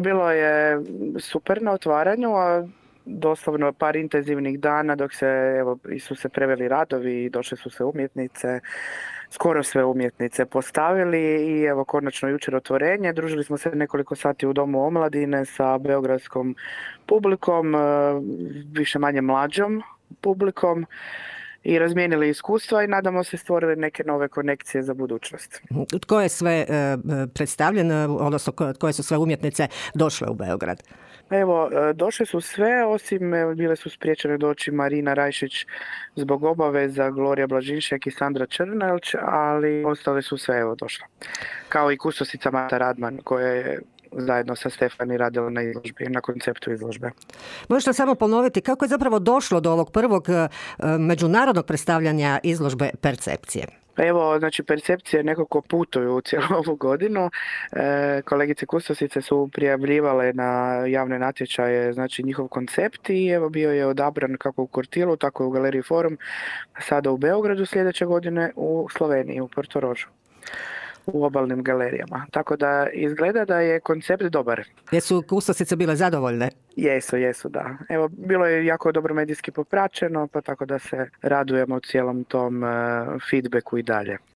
bilo je super na otvaranju, a doslovno par intenzivnih dana dok se, evo, su se preveli radovi i došle su se umjetnice, skoro sve umjetnice postavili i evo konačno jučer otvorenje. Družili smo se nekoliko sati u Domu omladine sa beogradskom publikom, više manje mlađom publikom i razmijenili iskustva i nadamo se stvorili neke nove konekcije za budućnost. Tko je sve predstavljen, odnosno koje su sve umjetnice došle u Beograd? Evo, došle su sve, osim bile su spriječene doći Marina Rajšić zbog obaveza, Gloria Blažinšek i Sandra Črnelč, ali ostale su sve, evo, došle. Kao i kustosica Mata Radman, koja je zajedno sa Stefani radila na izložbi, na konceptu izložbe. Možete samo ponoviti kako je zapravo došlo do ovog prvog međunarodnog predstavljanja izložbe Percepcije? Evo, znači, Percepcije nekako putuju cijelu ovu godinu. Kolegice kustosice su prijavljivale na javne natječaje, znači, njihov koncept i evo bio je odabran kako u Kortilu, tako i u Galeriji Forum, sada u Beogradu, sljedeće godine u Sloveniji, u Portorožu, u obalnim galerijama. Tako da izgleda da je koncept dobar. Jesu kustosice bile zadovoljne? Jesu, da. Evo, bilo je jako dobro medijski popraćeno, pa tako da se radujemo cijelom tom feedbacku i dalje.